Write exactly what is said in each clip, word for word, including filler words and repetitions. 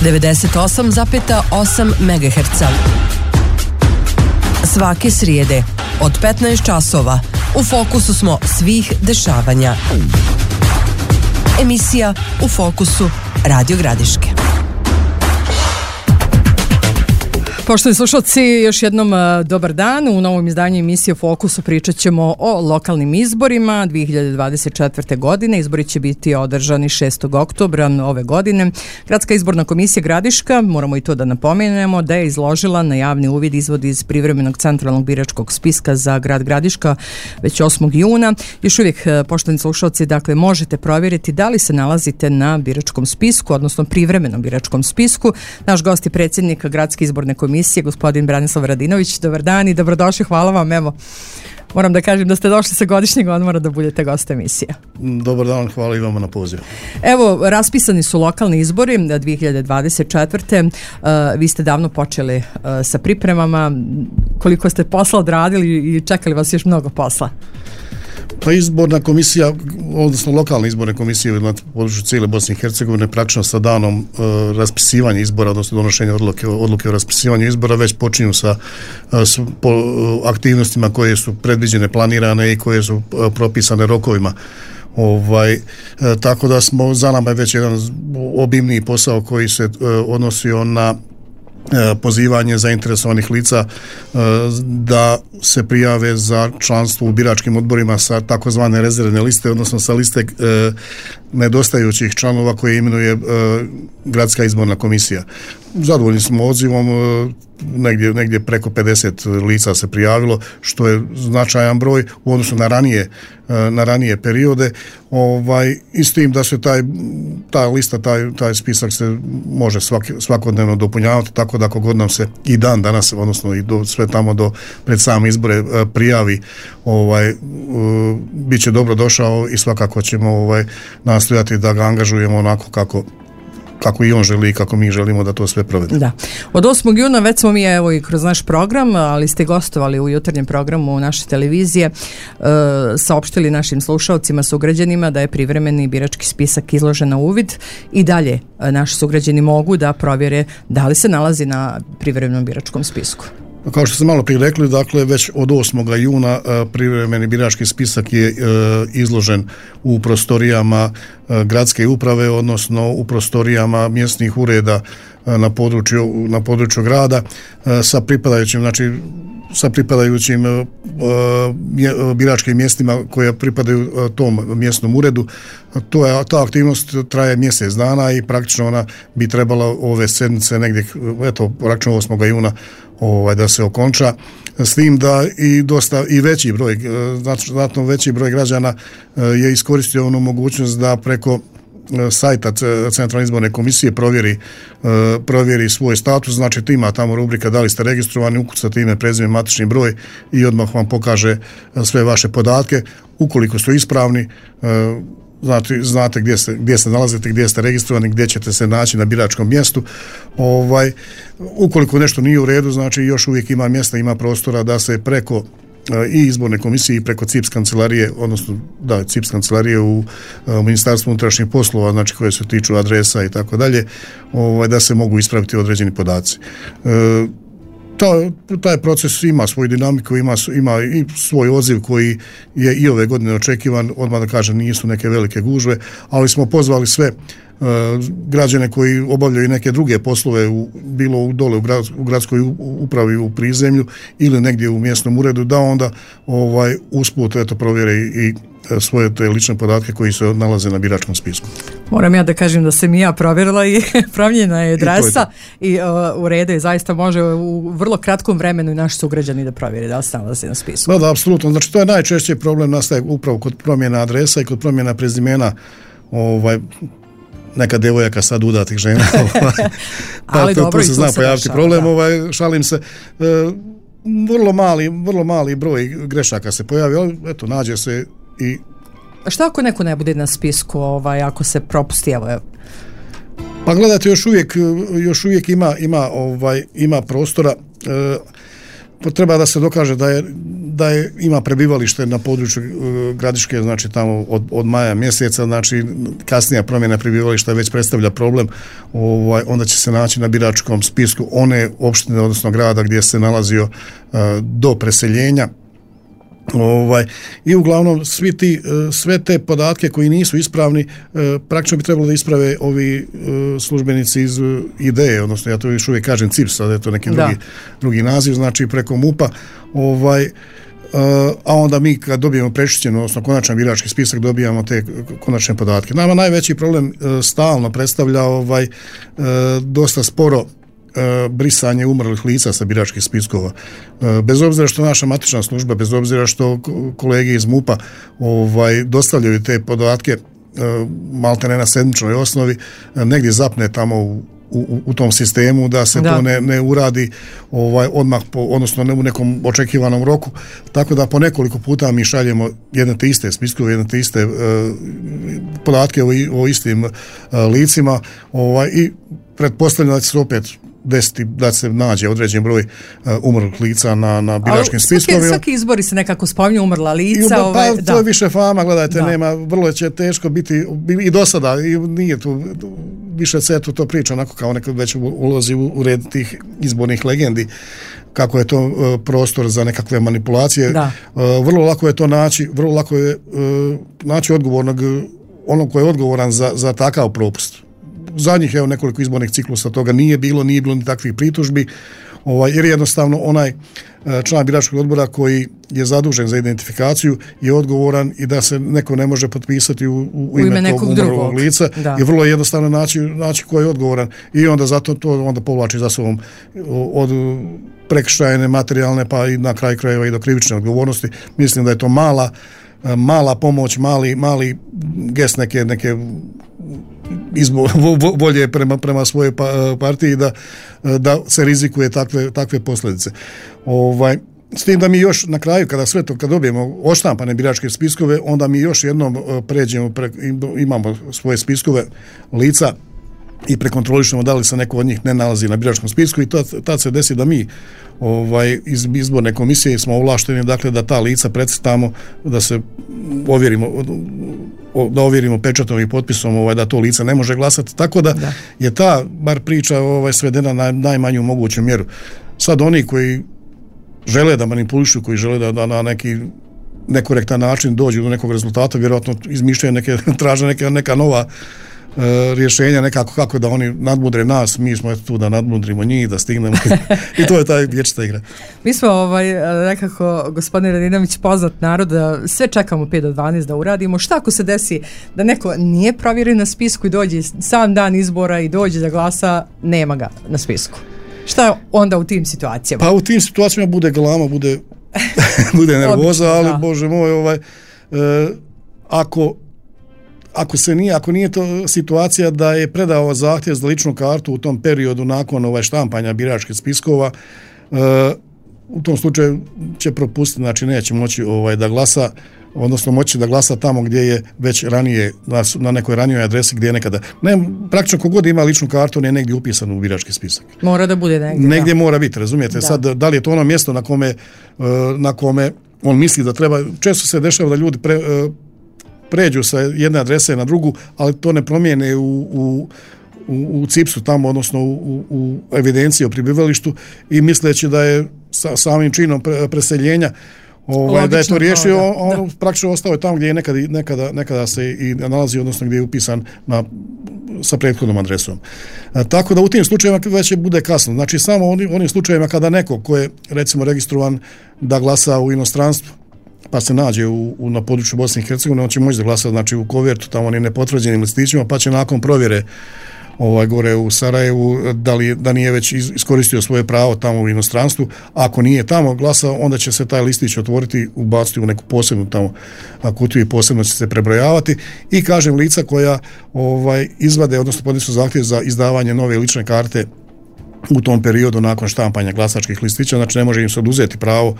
devedeset osam zarez osam megaherca. Svake srijede od petnaest časova u fokusu smo svih dešavanja. Emisija U fokusu Radio Gradiške. Poštovani slušalci, još jednom dobar dan. U novom izdanju emisije U fokusu pričat ćemo o lokalnim izborima dvije hiljade dvadeset četvrte. godine. Izbori će biti održani šestog oktobra ove godine. Gradska izborna komisija Gradiška, moramo i to da napomenemo, da je izložila na javni uvid izvod iz privremenog centralnog biračkog spiska za grad Gradiška već osmog juna. Još uvijek, poštovani slušalci, dakle, možete provjeriti da li se nalazite na biračkom spisku, odnosno privremenom biračkom spisku. Naš gost je predsjednik Gradske izborne komisije, gospodin Branislav Radinović. Dobar dan i dobrodošli, hvala vam. Evo, moram da kažem da ste došli sa godišnjeg odmora da budete gost emisije. Dobar dan, hvala i vama na pozivu. Evo, raspisani su lokalni izbori dvije hiljade dvadeset četvrte. Uh, vi ste davno počeli uh, sa pripremama. Koliko ste posla odradili i čekali vas još mnogo posla? Pa izborna komisija, odnosno lokalne izborne komisije na području cijele Bosne i Hercegovine praktično sa danom uh, raspisivanja izbora, odnosno donošenja odluke, odluke o raspisivanju izbora već počinju sa uh, s, po, uh, aktivnostima koje su predviđene, planirane i koje su uh, propisane rokovima. Ovaj, e, tako da smo, za nama je već jedan obimniji posao koji se uh, odnosio na pozivanje zainteresovanih lica da se prijave za članstvo u biračkim odborima sa takozvane rezervne liste, odnosno sa liste nedostajućih članova koje imenuje Gradska izborna komisija. Zadovoljni smo odzivom, negdje, negdje preko pedeset lica se prijavilo, što je značajan broj u odnosu na ranije, na ranije periode. Ovaj, i s tim da se taj, ta lista, taj, taj spisak se može svaki, svakodnevno dopunjavati, tako da kogod nam se i dan danas, odnosno i do, sve tamo do pred same izbore prijavi, ovaj, bit će dobro došao i svakako ćemo ovaj, nastojati da ga angažujemo onako kako kako i on želi i kako mi želimo da to sve provedemo. Da. Od osmog juna već smo mi evo i kroz naš program, ali ste gostovali u jutarnjem programu naše televizije, e, saopštili našim slušalcima, sugrađanima da je privremeni birački spisak izložen na uvid i dalje naši sugrađani mogu da provjere da li se nalazi na privremenom biračkom spisku. Kao što sam malo prije rekli, dakle, već od osmog juna privremeni birački spisak je e, izložen u prostorijama e, gradske uprave, odnosno u prostorijama mjesnih ureda e, na području, na području grada e, sa pripadajućim, znači sa pripadajućim e, biračkim mjestima koja pripadaju e, tom mjesnom uredu. To je, ta aktivnost traje mjesec dana i praktično ona bi trebala ove sedmice negdje, eto, praktično osmog juna ovaj, da se okonča, s tim da i dosta i veći broj, znatno veći broj građana je iskoristio onu mogućnost da preko sajta Centralne izborne komisije provjeri, provjeri svoj status, znači ima tamo rubrika da li ste registrovani, ukucate ime, prezime, matični broj i odmah vam pokaže sve vaše podatke. Ukoliko su ispravni, Znate, znate gdje se, gdje se nalazite, gdje ste registrovani, gdje ćete se naći na biračkom mjestu. Ovaj, ukoliko nešto nije u redu, znači još uvijek ima mjesta, ima prostora da se preko i izborne komisije i preko C I P S kancelarije, odnosno da, C I P S kancelarije u, u Ministarstvu unutrašnjih poslova, znači koje se tiču adresa i tako dalje, ovaj, da se mogu ispraviti određeni podaci. E, Ta, taj proces ima svoju dinamiku, ima, ima i svoj odziv koji je i ove godine očekivan, odmah da kažem nisu neke velike gužve, ali smo pozvali sve uh, građane koji obavljaju neke druge poslove u, bilo u, dole u, grad, u gradskoj upravi u prizemlju ili negdje u mjesnom uredu, da onda ovaj, usput eto, provjere i, i svoje te lične podatke koji se nalaze na biračkom spisku. Moram ja da kažem da sam i ja provjerila i promijenjena je adresa i, i uh, u redu je, zaista može u vrlo kratkom vremenu i naši sugrađani da provjeri da li se nalazi na spisku. Da, da, apsolutno. Znači to je najčešće problem nastaje upravo kod promjena adresa i kod promjena prezimena, ovaj, neka devojaka sad udatih žena. Ovaj, pa ali to, dobro, tu se zna pojaviti problem, da. ovaj, šalim se. E, vrlo mali, vrlo mali broj grešaka se pojavi, ali eto, nađe se i... A šta ako neko ne bude na spisku, ovaj, ako se propusti, evo, evo? Pa gledajte, još uvijek, još uvijek ima, ima, ovaj, ima prostora. E, treba da se dokaže da je, da je ima prebivalište na području uh, Gradiške, znači tamo od, od maja mjeseca, znači kasnija promjena prebivališta već predstavlja problem, ovaj, onda će se naći na biračkom spisku one opštine, odnosno grada gdje se nalazio uh, do preseljenja. Ovaj, i uglavnom svi ti, sve te podatke koji nisu ispravni praktično bi trebalo da isprave ovi službenici iz I D E, odnosno ja to još uvijek kažem C I P S, ali je to neki drugi, drugi naziv, znači preko MUP-a, ovaj, a onda mi kad dobijemo prečišćeno, odnosno konačan birački spisak, dobijamo te konačne podatke. Nama najveći problem stalno predstavlja ovaj, dosta sporo brisanje umrlih lica sa biračkih spiskova. Bez obzira što naša matična služba, bez obzira što kolege iz MUP-a ovaj, dostavljaju te podatke malte ne na sedmičnoj osnovi, negdje zapne tamo u, u, u tom sistemu da se da. to ne, ne uradi ovaj, odmah, po, odnosno ne u nekom očekivanom roku, tako da po nekoliko puta mi šaljemo jedne te iste spiskove, jedne te iste uh, podatke o, o istim uh, licima ovaj, i pretpostavljam da će se opet desiti da se nađe određen broj uh, umrlih lica na, na biračkim spiskovima. Svaki izbori se nekako spominju umrla lica. I, ovaj, pa, to da. je više fama, gledajte, da. nema, vrlo će teško biti i do sada, i nije tu, više se tu to priča, onako kao neko već ulazi u, u red tih izbornih legendi, kako je to uh, prostor za nekakve manipulacije. Da. Uh, vrlo lako je to naći, vrlo lako je uh, naći odgovornog, onog koji je odgovoran za, za takav propust. Zadnjih evo nekoliko izbornih ciklusa toga nije bilo, nije bilo ni takvih pritužbi, ovaj, jer jednostavno onaj član biračkog odbora koji je zadužen za identifikaciju je odgovoran i da se neko ne može potpisati u, u, u ime, ime tog umrlog lica, da. je vrlo jednostavno naći, naći ko je odgovoran i onda zato to onda povlači za sobom od prekršajne, materijalne pa i na kraj krajeva i do krivične odgovornosti. Mislim da je to mala mala pomoć, mali, mali gest neke, neke izbo, volje prema, prema svojoj partiji da, da se rizikuje takve, takve posljedice. Ovaj, s tim da mi još na kraju, kada sve to, kad dobijemo odštampane biračke spiskove, onda mi još jednom pređemo, pre, imamo svoje spiskove lica i prekontrolišemo da li se neko od njih ne nalazi na biračkom spisku i tad, tad se desi da mi ovaj, iz izborne komisije smo ovlašteni, dakle da ta lica precrtamo, da se ovjerimo, da ovjerimo pečatom i potpisom ovaj, da to lice ne može glasati, tako da, da. je ta bar priča ovaj, svedena na najmanju moguću mjeru. Sad oni koji žele da manipulišu, koji žele da, da na neki nekorektan način dođu do nekog rezultata, vjerojatno izmišljaju neke, traže neke, neka nova rješenja nekako kako da oni nadmudre nas, mi smo tu da nadmudrimo njih, da stignemo i to je taj vječita igra. Mi smo ovaj, nekako, gospodin Radinović, poznat narod, da sve čekamo pet do dvanaest da uradimo. Šta ako se desi da neko nije provjeren na spisku i dođe sam dan izbora i dođe da glasa, nema ga na spisku? Šta onda u tim situacijama? Pa u tim situacijama bude galama, bude, bude nervoza, ali da. Bože moj, ovaj, e, ako Ako se nije, ako nije to situacija da je predao zahtjev za ličnu kartu u tom periodu nakon ovaj štampanja biračkih spiskova, e, u tom slučaju će propustiti, znači neće moći ovaj da glasa, odnosno moći da glasa tamo gdje je već ranije, na, na nekoj ranijoj adresi gdje je nekada. Ne, praktično kogod ima ličnu kartu, ne je negdje upisan u birački spisak. Mora da bude negdje. Negdje da. mora biti, razumijete? Da. Sad, da li je to ono mjesto na kome, na kome on misli da treba, često se dešava da ljudi pre, pređu sa jedne adrese na drugu, ali to ne promijene u, u, u, u C I P S-u tamo, odnosno u, u evidenciji o prebivalištu i misleći da je sa, samim činom pre, preseljenja ovaj, logično, da je to riješio, da, on da. praktično ostao je tamo gdje je nekada, nekada, nekada se i nalazi, odnosno gdje je upisan na, sa prethodnom adresom. A, tako da u tim slučajevima već bude kasno. Znači samo onim, onim slučajevima kada neko ko je recimo registrovan da glasa u inostranstvu, pa se nađe u, u, na području Bosne i Hercegovine, on će moći da glasa znači, u kovertu, tamo onim nepotvrđenim listićima, pa će nakon provjere ovaj, gore u Sarajevu, da, li, da nije već iskoristio svoje pravo tamo u inostranstvu. Ako nije tamo glasao, onda će se taj listić otvoriti, ubaciti u neku posebnu tamo kutiju i posebno će se prebrojavati. I kažem, lica koja ovaj, izvade, odnosno podnesu zahtjev za izdavanje nove lične karte u tom periodu nakon štampanja glasačkih listića, znači ne može im se oduzeti pravo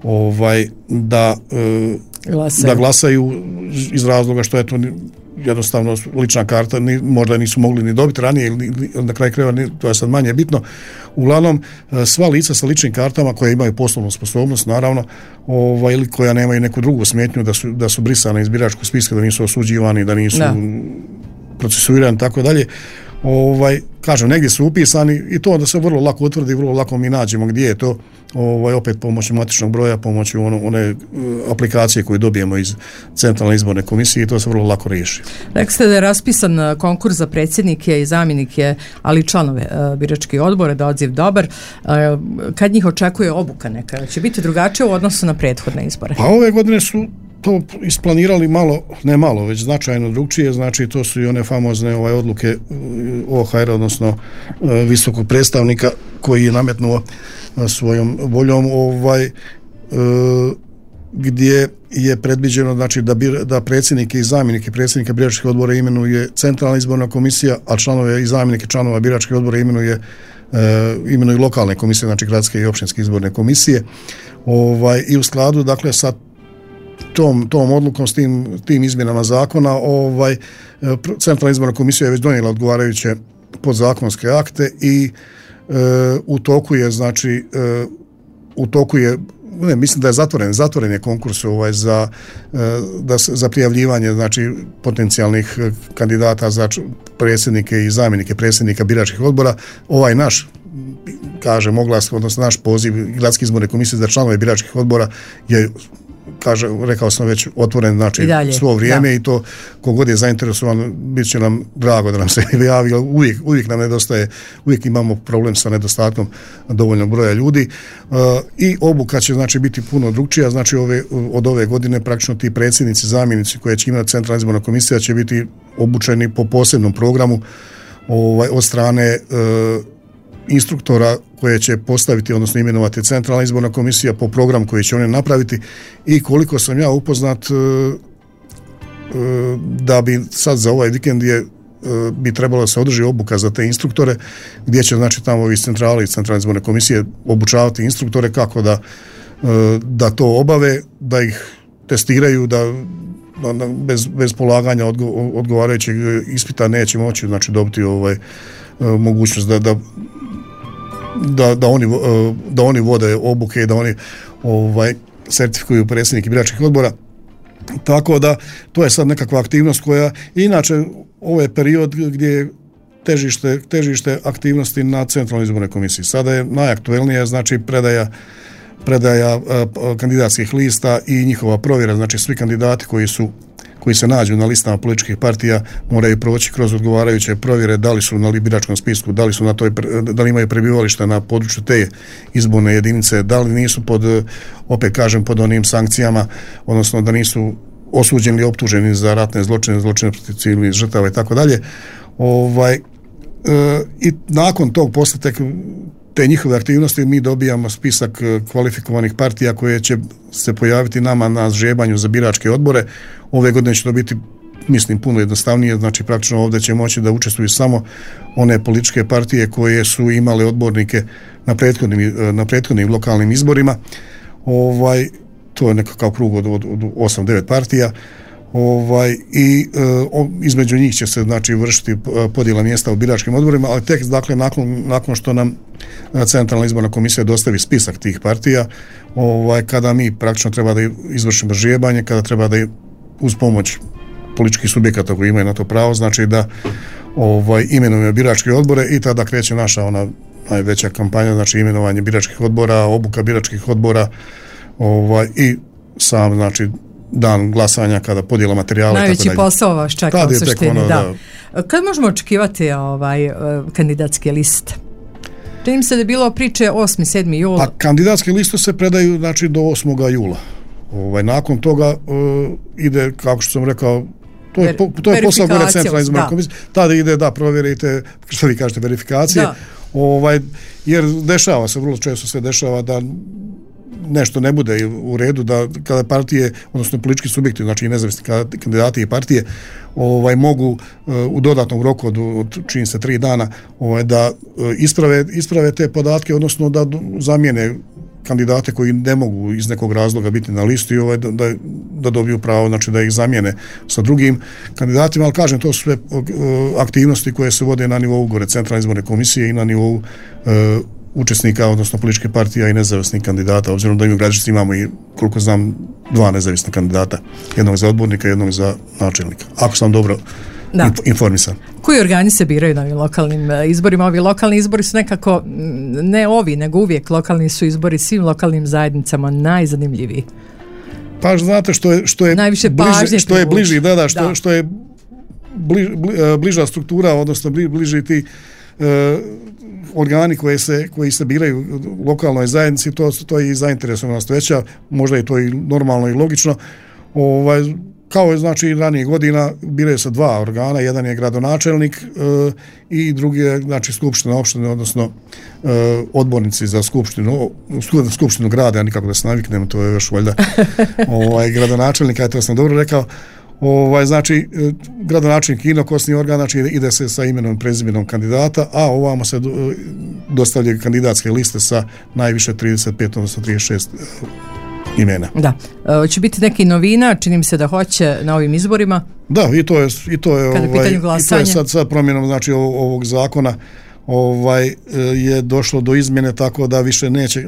ovaj da glasaju. da glasaju iz razloga što je to jednostavno lična karta, ni, možda nisu mogli ni dobiti ranije ili na kraju krajeva, to je sad manje bitno. Uglavnom, sva lica sa ličnim kartama koje imaju poslovnu sposobnost, naravno, ovaj, ili koja nemaju neku drugu smetnju da su, da su brisane iz biračkog spiska, da nisu osuđivani, da nisu da. procesuirani, tako dalje. Ovaj, kažem, negdje su upisani i to da se vrlo lako utvrdi, vrlo lako mi nađemo gdje je to, ovaj, opet pomoću matičnog broja, pomoću ono, one uh, aplikacije koju dobijemo iz Centralne izborne komisije i to se vrlo lako riješi. Rekli ste da je raspisan konkurs za predsjednike i zamjenike, ali i članove uh, biračkih odbora, da odziv dobar. Uh, kad njih očekuje obuka neka? Će biti drugačije u odnosu na prethodne izbore? Pa ove godine su to isplanirali malo, ne malo, već značajno drugčije, znači to su i one famozne ovaj, odluke O H R, odnosno visokog predstavnika koji je nametnuo svojom voljom ovaj, gdje je predviđeno znači, da, bir, da predsjednike i zamjenike predsjednika biračkih odbora imenuje Centralna izborna komisija, a članove i zamjenike članova biračkih odbora imenuje imenuju lokalne komisije, znači gradske i općinske izborne komisije. Ovaj, i u skladu dakle sa tom, tom odlukom, s tim, tim izmjenama zakona, ovaj, Centralna izborna komisija je već donijela odgovarajuće podzakonske akte i e, u toku je, znači, e, u toku je, ne, mislim da je zatvoren, zatvoren je konkurs ovaj, za, e, da, za prijavljivanje, znači, potencijalnih kandidata za predsjednike i zamjenike predsjednika biračkih odbora. Ovaj naš, kažem, oglas, odnosno naš poziv Gradske izborne komisije za članove biračkih odbora je, kaže, rekao sam već, otvoren, znači svo vrijeme, da. I to kogod je zainteresovan, bit će nam drago da nam se javi, uvijek, uvijek nam nedostaje, uvijek imamo problem sa nedostatkom dovoljnog broja ljudi uh, i obuka će znači biti puno drugčija, znači ove, od ove godine praktično ti predsjednici, zamjenici koje će imati Centralna izborna komisija će biti obučeni po posebnom programu ovaj, od strane uh, instruktora koje će postaviti, odnosno imenovati Centralna izborna komisija po programu koji će oni napraviti i koliko sam ja upoznat da bi sad za ovaj vikend je bi trebalo da se održi obuka za te instruktore gdje će znači tamo iz centrale i Centralne izborne komisije obučavati instruktore kako da, da to obave, da ih testiraju, da bez, bez polaganja odgo, odgovarajućeg ispita neće moći znači dobiti ovaj mogućnost da, da Da, da, oni, da oni vode obuke i da oni ovaj, sertifikuju predsjednike biračkih odbora. Tako da to je sad nekakva aktivnost koja inače ovo je period gdje je težište, težište aktivnosti na Centralnoj izbornoj komisiji. Sada je najaktuelnija znači predaja, predaja uh, kandidatskih lista i njihova provjera, znači svi kandidati koji su koji se nađu na listama političkih partija moraju proći kroz odgovarajuće provjere da li su na biračkom spisku, da li su na toj, da li imaju prebivalište na području te izborne jedinice, da li nisu pod, opet kažem, pod onim sankcijama, odnosno da nisu osuđeni ili optuženi za ratne zločine, zločine protiv civilnih žrtava i tako dalje. Ovaj, e, i nakon tog posle tek te njihove aktivnosti mi dobijamo spisak kvalifikovanih partija koje će se pojaviti nama na žebanju za biračke odbore. Ove godine će to biti, mislim, puno jednostavnije, znači praktično ovdje će moći da učestvuju samo one političke partije koje su imale odbornike na prethodnim, na prethodnim lokalnim izborima. Ovaj, to je nekakav krug od, od, od osam devet partija. Ovaj, i e, između njih će se znači vršiti podjela mjesta u biračkim odborima, ali tek dakle nakon, nakon što nam Centralna izborna komisija dostavi spisak tih partija, ovaj, kada mi praktično treba da izvršimo žijebanje, kada treba da uz pomoć političkih subjekata koji imaju na to pravo, znači da ovaj, imenujemo biračke odbore i tada kreće naša ona najveća kampanja, znači imenovanje biračkih odbora, obuka biračkih odbora ovaj, i sam znači dan glasanja kada podijela materijala. Najveći tako posao vas čeka u suštini. Ono, da. Da. Kad možemo očekivati ovaj, kandidatske liste? Čini se da je bilo priče osmi sedmi jula. A kandidatske liste se predaju znači do osmog jula. Ovaj, nakon toga uh, ide, kako što sam rekao, to je, po, to je posao gore Centralne izborne komisije. Tada ide da provjerite, što vi kažete, verifikacije. Da. Ovaj, jer dešava se, vrlo često se dešava da nešto ne bude u redu, da kada partije, odnosno politički subjekti, znači i nezavisni kandidati i partije, ovaj, mogu uh, u dodatnom roku od, od čini se tri dana ovaj, da uh, isprave, isprave te podatke, odnosno da zamijene kandidate koji ne mogu iz nekog razloga biti na listi, ovaj, da, da, da dobiju pravo, znači da ih zamijene sa drugim kandidatima, ali kažem, to su sve aktivnosti koje se vode na nivou gore Centralne izborne komisije i na nivou e, učesnika, odnosno političke partije i nezavisnih kandidata, obzirom da mi u Gradišci imamo i, koliko znam, dva nezavisna kandidata, jednog za odbornika i jednog za načelnika, ako sam dobro da. informisan. Koji organi se biraju na ovim lokalnim izborima? Ovi lokalni izbori su nekako, ne ovi, nego uvijek lokalni su izbori svim lokalnim zajednicama najzanimljiviji. Pa znate što je, što je najviše bliže, što je bliži, da, da, što, da. što je bliž, bliža struktura, odnosno bliži ti uh, organi koje se, koji se biraju u lokalnoj zajednici, to, to je i zainteresovanost veća, možda je to i normalno i logično. Ovaj, kao je znači ranije godina biraju se dva organa, jedan je gradonačelnik e, i drugi je znači skupština opštine, odnosno e, odbornici za skupštinu, skupštinu grada, ja nikako da se naviknem, to je još valjda ovaj, gradonačelnika, to sam dobro rekao. Ovaj, znači, gradonačelnik inokosni organ, znači ide se sa imenom i prezimenom kandidata, a ovamo se dostavljaju kandidatske liste sa najviše trideset pet, odnosno trideset šest imena. Da. E, će biti neki novina, čini mi se da hoće na ovim izborima? Da, i to je, i to je, ovaj, i to je sad, sad promjenom znači, ovog zakona ovaj, je došlo do izmjene tako da više neće,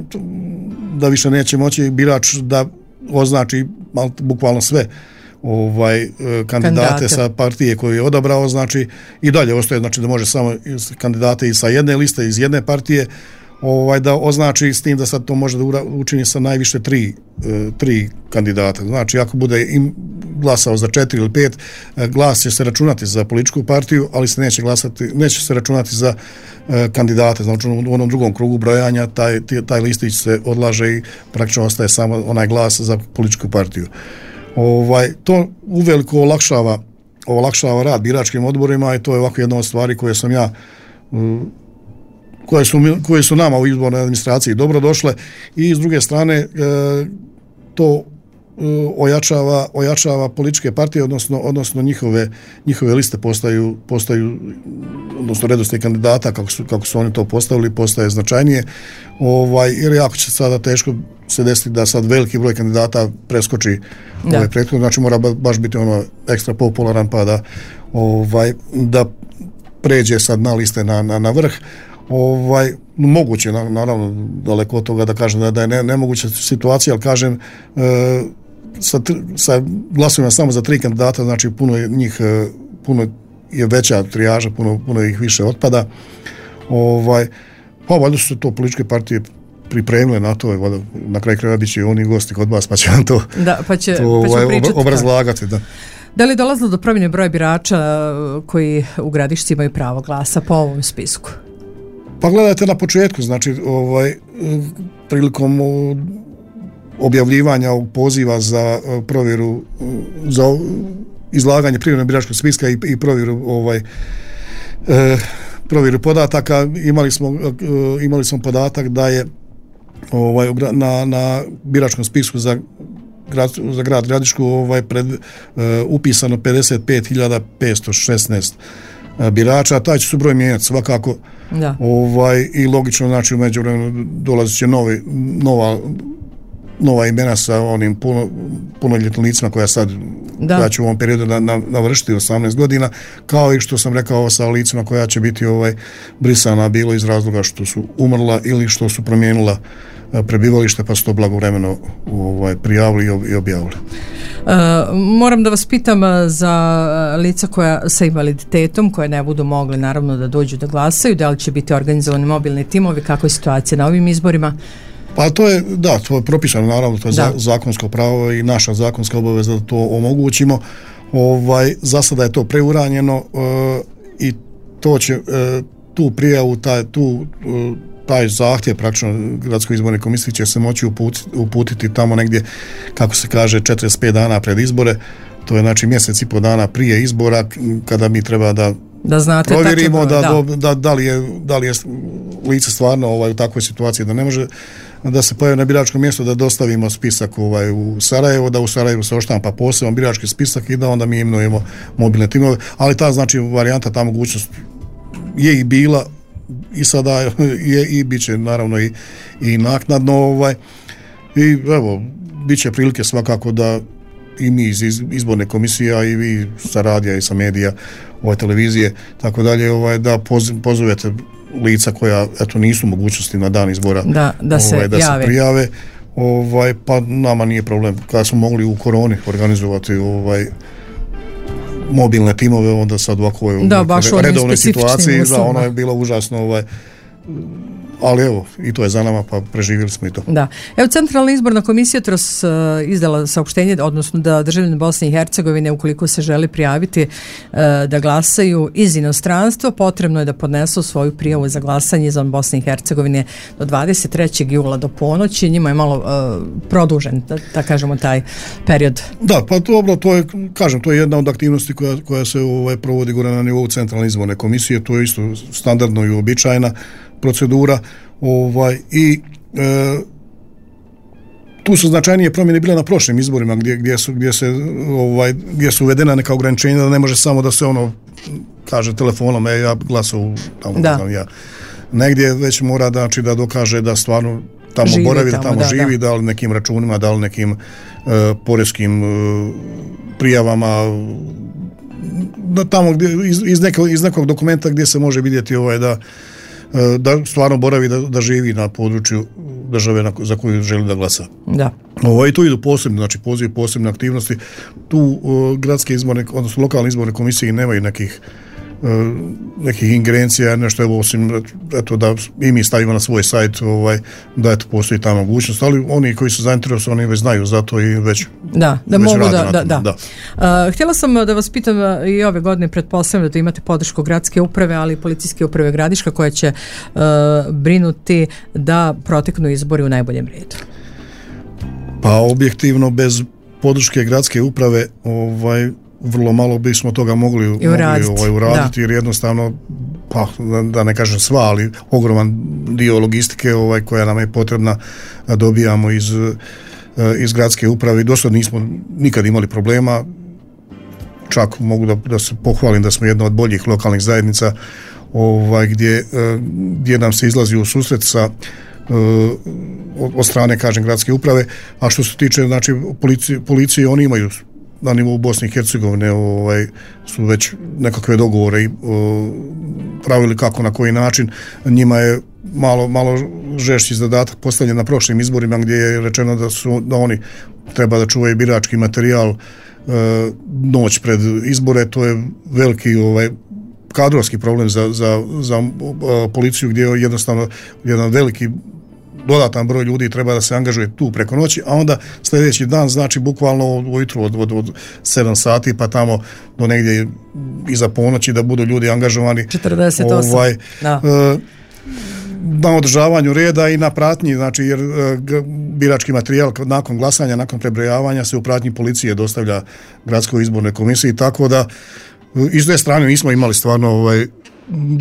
da više neće moći birač da označi bukvalno sve ovaj kandidate, kandidate sa partije koju je odabrao, znači i dalje ostaje, znači da može samo kandidate i sa jedne liste, iz jedne partije, ovaj da označi, s tim da sad to može da učini sa najviše tri, tri kandidata. Znači ako bude im glasao za četiri ili pet, glas će se računati za političku partiju, ali se neće glasati, neće se računati za kandidate. Znači u onom drugom krugu brojanja taj, taj listić se odlaže i praktično ostaje samo onaj glas za političku partiju. Ovaj, to uveliko olakšava, olakšava rad biračkim odborima i to je ovako jedna od stvari koje sam ja koje su, koje su nama u izbornoj administraciji dobro došle i s druge strane e, to e, ojačava, ojačava političke partije, odnosno, odnosno njihove, njihove liste postaju, postaju odnosno redoslijed kandidata kako su, kako su oni to postavili postaje značajnije, ovaj, jer jako će sada teško se desiti da sad veliki broj kandidata preskoči ovaj prethodno, znači mora baš biti ono ekstra popularan pa da, ovaj, da pređe sad na liste na, na, na vrh. Ovaj, moguće, naravno, daleko od toga da kažem da, da je ne, nemoguća situacija, ali kažem e, sa, sa glasovima samo za tri kandidata, znači puno je njih, puno je veća trijaža, puno, puno ih više otpada. Ovaj, pa valjda su to političke partije pripremile na to, valjda, na kraju krajeva bit će oni gosti kod vas, pa će vam to, da, pa će, to pa ovaj, obrazlagati. Da. Da li je dolazilo do promjene broja birača koji u Gradišci imaju pravo glasa po ovom spisku? Pa gledajte na početku, znači ovaj, prilikom objavljivanja poziva za provjeru, za izlaganje privremenog biračkog spiska i, i provjeru ovaj, e, provjeru podataka, imali smo, imali smo podatak da je ovaj, na, na biračkom spisku za grad, za grad Gradišku ovaj, pred, uh, upisano pedeset pet hiljada petsto šesnaest birača, taj će se broj mijenjati svakako. Da. Ovaj, i logično, znači u međuvremenu dolazit će novi, nova, nova imena sa onim puno, punoljetnim licima koja sad da. koja će u ovom periodu na, na, navršiti osamnaest godina, kao i što sam rekao sa licima koja će biti ovaj, brisana bilo iz razloga što su umrla ili što su promijenila prebivalište pa su to blagovremeno ovaj, prijavili i objavili. Uh, moram da vas pitam za lica koja sa invaliditetom koje ne budu mogli naravno da dođu da glasaju, da li će biti organizovani mobilni timovi, kako je situacija na ovim izborima? Pa to je, da, to je propisano naravno, to je za, zakonsko pravo i naša zakonska obaveza da to omogućimo. Ovaj, za sada je to preuranjeno uh, i to će uh, tu prijavu, taj, tu uh, taj zahtjev praktično Gradskoj izbornoj komisiji će se moći uputiti, uputiti tamo negdje, kako se kaže, četrdeset pet dana pred izbore, to je znači mjesec i po dana prije izbora, kada mi treba da, da znate provjerimo da, da. Da, da, li je, da li je lice stvarno ovaj, u takvoj situaciji da ne može da se pojavi na biračkom mjestu, da dostavimo spisak ovaj, u Sarajevo, da u Sarajevu se oštampa poseban birački spisak i da onda mi imenujemo mobilne timove, ali ta znači varijanta, ta mogućnost je i bila i sada je i bit će naravno i, i naknadno ovaj, i evo bit će prilike svakako da i mi iz izborne komisije, a i vi sa radija i sa medija, ovaj, televizije, tako dalje, ovaj, da poz, pozovete lica koja eto nisu mogućnosti na dan izbora da, da, se, ovaj, da se prijave, ovaj, pa nama nije problem. Kada smo mogli u koroni organizovati ovaj, mobilne timove, onda sad ovako je da, baš u redovnoj situaciji, da, ono je bilo užasno, ovaj, ali evo, i to je za nama, pa preživjeli smo i to. Da. Evo, Centralna izborna komisija jutros uh, izdala saopštenje, odnosno da državljani Bosne i Hercegovine, ukoliko se želi prijaviti uh, da glasaju iz inostranstva, potrebno je da podnesu svoju prijavu za glasanje izvan Bosne i Hercegovine do dvadeset trećeg jula do ponoći. Njima je malo uh, produžen, da, da kažemo, taj period. Da, pa dobro, to je, kažem, to je jedna od aktivnosti koja, koja se ovaj, provodi gore na nivou Centralne izborne komisije, to je isto standardno i uobičajena procedura, ovaj, i e, tu su značajnije promjene bile na prošlim izborima gdje, gdje, su, gdje, se, ovaj, gdje su uvedena neka ograničenja da ne može samo da se ono kaže telefonom, e, ja glasao tamo, da. Znam, ja. Negdje već mora da, znači, da dokaže da stvarno tamo živi, boravi, da tamo da, živi, da. da li nekim računima, da li nekim e, poreskim e, prijavama, da tamo gdje, iz, iz, nekog, iz nekog dokumenta gdje se može vidjeti ovaj, da da stvarno boravi, da, da živi na području države na, za koju želi da glasa. Da. Ovo, i tu idu posebne, znači poziv posebne aktivnosti. Tu uh, gradske izborne, odnosno lokalne izborne komisije nemaju nekih uh, nekih ingerencija, nešto evo osim eto, da i mi stavimo na svoj sajt ovaj, da eto, postoji ta mogućnost, ali oni koji su zainteresovani već znaju za to i već da, da već mogu rade da, da, da, da. Uh, htjela sam da vas pitam i ove godine, pretpostavljam da imate podršku gradske uprave, ali i policijske uprave Gradiška koja će uh, brinuti da proteknu izbori u najboljem redu. Pa objektivno bez podrške gradske uprave ovaj vrlo malo bismo toga mogli, mogli ovaj, uraditi, jer jednostavno, pa da, da ne kažem sva, ali ogroman dio logistike ovaj, koja nam je potrebna dobijamo iz, iz gradske uprave i dosad nismo nikad imali problema, čak mogu da, da se pohvalim da smo jedna od boljih lokalnih zajednica ovaj, gdje, gdje nam se izlazi u susret sa od strane, kažem, gradske uprave, a što se tiče, znači, policije, policije oni imaju na nivou Bosne i Hercegovine ovaj, su već nekakve dogovore i o, pravili kako, na koji način. Njima je malo, malo žešći zadatak postavljen na prošlim izborima gdje je rečeno da su da oni treba da čuvaju birački materijal e, noć pred izbore. To je veliki ovaj, kadrovski problem za, za, za a, policiju gdje je jednostavno jedan veliki dodatan broj ljudi treba da se angažuje tu preko noći, a onda sljedeći dan, znači bukvalno ujutru od, od, od sedam sati pa tamo do negdje iza ponoći da budu ljudi angažovani četrdeset osam ovaj, da. E, na održavanju reda i na pratnji, znači jer e, birački materijal nakon glasanja, nakon prebrojavanja se u pratnji policije dostavlja gradskoj izbornoj komisiji, tako da i s te strane nismo imali stvarno ovaj,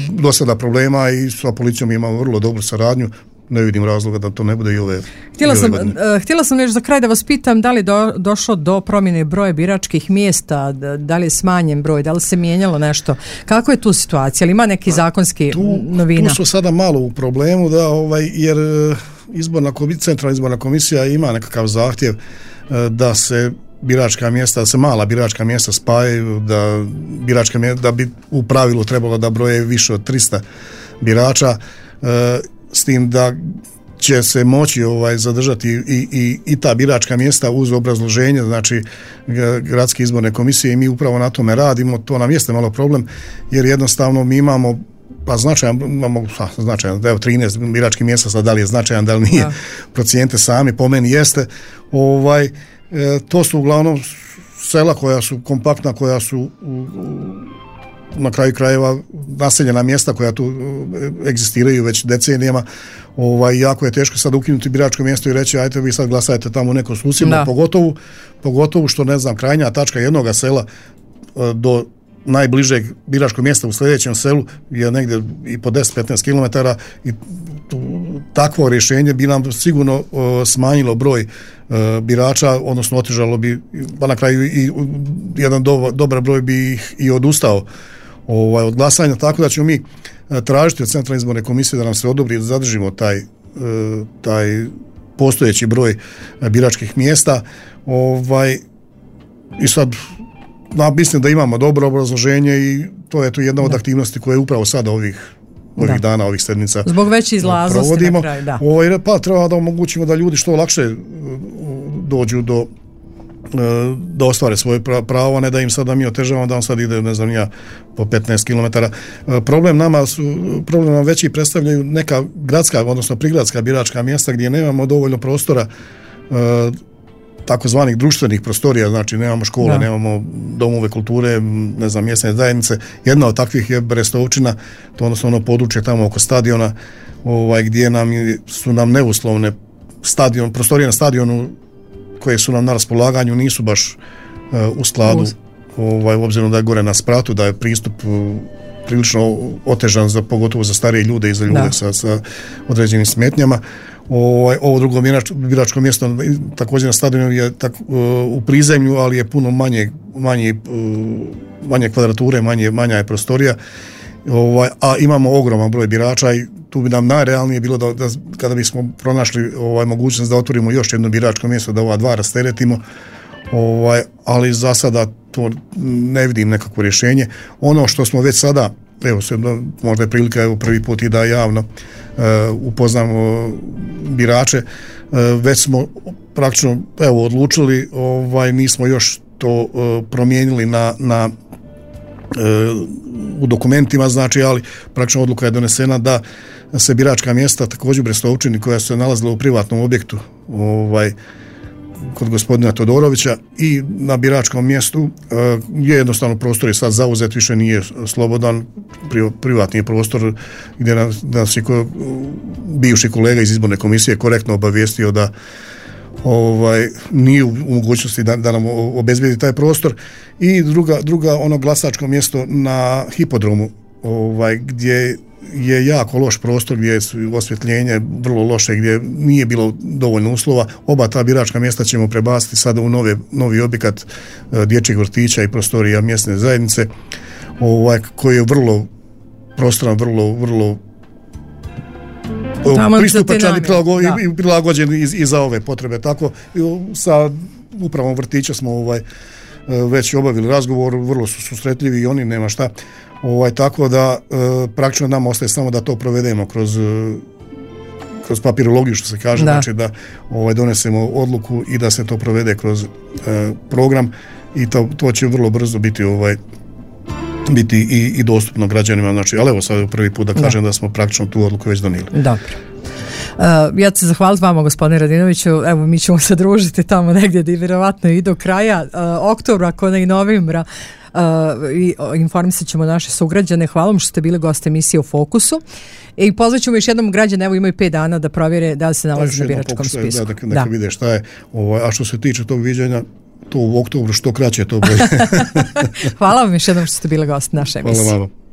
do sada problema i sa policijom imamo vrlo dobru saradnju. Ne vidim razloga da to ne bude i ove. Htjela i ove sam, godine. htjela sam još za kraj da vas pitam da li do, došlo do promjene broja biračkih mjesta, da, da li je smanjen broj, da li se mijenjalo nešto. Kako je tu situacija? Ali ima neki zakonski tu, novina? Tu su sada malo u problemu, da, ovaj, jer izborna, centralna izborna komisija ima nekakav zahtjev da se biračka mjesta, da se mala biračka mjesta spajaju, da biračka mjesta, da bi u pravilu trebalo da broje više od trista birača, s tim da će se moći ovaj zadržati i, i, i ta biračka mjesta uz obrazloženje, znači gradske izborne komisije, i mi upravo na tome radimo. To nam jeste malo problem, jer jednostavno mi imamo pa značajan, imamo značajan, evo trinaest biračkih mjesta, sad da li je značajan, da li nije, ja. Procijente sami, po meni jeste, ovaj, e, to su uglavnom sela koja su kompaktna, koja su u, u, na kraju krajeva naseljena mjesta koja tu egzistiraju već decenijama. Ovaj, jako je teško sad ukinuti biračko mjesto i reći ajte vi sad glasajte tamo neko susjedno, pogotovo, pogotovo što ne znam, krajnja tačka jednoga sela do najbližeg biračkog mjesta u sljedećem selu je negdje i po deset do petnaest kilometara i tu, takvo rješenje bi nam sigurno uh, smanjilo broj uh, birača, odnosno otežalo bi, pa na kraju i jedan do, dobar broj bi ih i odustao ovaj, od glasanja, tako da ćemo mi tražiti od Centralne izborne komisije da nam se odobri da zadržimo taj, taj postojeći broj biračkih mjesta. Ovaj, i sad na, mislim da imamo dobro obrazloženje i to je to jedna od aktivnosti koje upravo sada ovih ovih da. dana, ovih sedmica zbog veće izlaznosti na kraju, da. Ovaj, pa treba da omogućimo da ljudi što lakše dođu do da ostvare svoje pravo, ne da im sada mi otežavamo da on sad ide, ne znam ja, po petnaest kilometara. Problem nama su, problem nam veći predstavljaju neka gradska, odnosno prigradska biračka mjesta gdje nemamo dovoljno prostora takozvanih društvenih prostorija, znači nemamo škole, da. nemamo domove kulture, ne znam, mjesne zajednice. Jedna od takvih je Brestovčina, to odnosno ono područje tamo oko stadiona, ovaj, gdje nam su nam neuslovne stadion, prostorije na stadionu koje su nam na raspolaganju nisu baš uh, u skladu, ovaj, obzirom da je gore na spratu, da je pristup uh, prilično otežan za, pogotovo za starije ljude i za ljude sa, sa određenim smetnjama. Ovaj, ovo drugo biračko mjesto također na stadionu je tak, uh, u prizemlju, ali je puno manje, manje, uh, manje kvadrature, manje, manja je prostorija, ovaj, a imamo ogroman broj birača i tu bi nam najrealnije bilo da, da kada bismo pronašli ovaj, mogućnost da otvorimo još jedno biračko mjesto, da ova dva rasteretimo, ovaj, ali za sada to ne vidim nekakvo rješenje. Ono što smo već sada, evo se, možda je prilika evo, prvi put i da javno uh, upoznamo birače, uh, već smo praktično evo, odlučili, ovaj, nismo još to uh, promijenili na, na uh, u dokumentima, znači, ali praktično odluka je donesena da se biračka mjesta također u Brestovčini koja su se nalazila u privatnom objektu ovaj, kod gospodina Todorovića i na biračkom mjestu uh, je jednostavno prostor je sad zauzet, više nije slobodan, pri, privatni prostor gdje nas, nas je ko, bivši kolega iz izborne komisije korektno obavijestio da ovaj, nije u mogućnosti da, da nam obezbijedi taj prostor i druga, druga ono glasačko mjesto na hipodromu ovaj, gdje je jako loš prostor, gdje je osvjetljenje vrlo loše, gdje nije bilo dovoljno uslova. Oba ta biračka mjesta ćemo prebaciti sada u nove, novi objekat dječjeg vrtića i prostorija mjesne zajednice, ovaj, koji je vrlo prostoran, vrlo, vrlo pristupačan i prilagođen, i prilagođen i, i za ove potrebe. Tako, sa upravom vrtića smo ovaj, već obavili razgovor, vrlo su susretljivi i oni, nema šta. Ovaj, tako da e, praktično nam ostaje samo da to provedemo kroz, kroz papirologiju, što se kaže, da. Znači da ovaj, donesemo odluku i da se to provede kroz e, program i to, to će vrlo brzo biti ovaj, biti i, i dostupno građanima, znači, ali evo sad prvi put da kažem da, da smo praktično tu odluku već donijeli. Dobro. Uh, ja ću se zahvaliti vama, gospodine Radinoviću, evo mi ćemo se družiti tamo negdje gdje vjerovatno i do kraja uh, oktobra, ako ne i novembra, uh, i informisat ćemo naše sugrađane. Hvala vam što ste bili gost emisije u Fokusu i pozvat ćemo još jednom građane, evo imaju pet dana da provjere da li se nalazi na biračkom spisku. Da, da, neka da. vide šta je, ovaj, a što se tiče tog viđenja, to u oktobru što kraće to bolje. Hvala vam još jednom što ste bili gost naše emisije. Hvala vam.